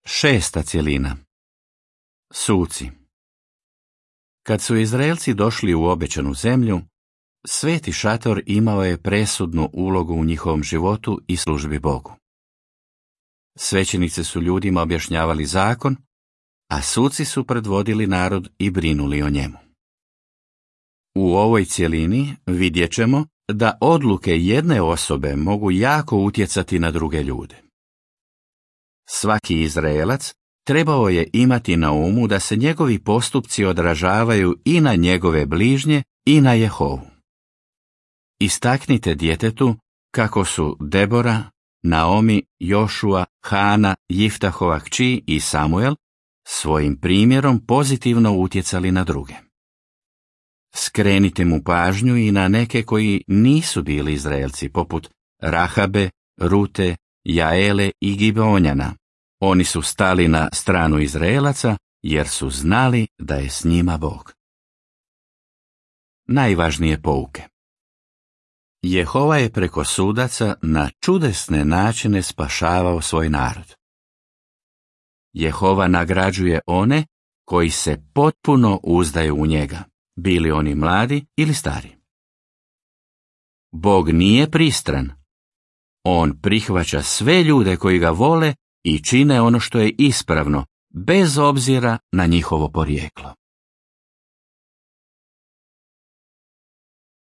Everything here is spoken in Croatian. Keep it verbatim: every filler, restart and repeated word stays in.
Šesta cjelina. Suci. Kad su Izraelci došli u obećanu zemlju, Sveti šator imao je presudnu ulogu u njihovom životu i službi Bogu. Svećenici su ljudima objašnjavali zakon, a suci su predvodili narod i brinuli o njemu. U ovoj cjelini vidjet ćemo da odluke jedne osobe mogu jako utjecati na druge ljude. Svaki Izraelac trebao je imati na umu da se njegovi postupci odražavaju i na njegove bližnje i na Jehovu. Istaknite djetetu kako su Debora, Naomi, Jošua, Hana, Jiftahova kći i Samuel svojim primjerom pozitivno utjecali na druge. Skrenite mu pažnju i na neke koji nisu bili Izraelci, poput Rahabe, Rute, Jaele i Gibeonjana. Oni su stali na stranu Izraelaca jer su znali da je s njima Bog. Najvažnije pouke. Jehova je preko sudaca na čudesne načine spašavao svoj narod. Jehova nagrađuje one koji se potpuno uzdaju u njega, bili oni mladi ili stari. Bog nije pristran. On prihvaća sve ljude koji ga vole i čine ono što je ispravno, bez obzira na njihovo porijeklo.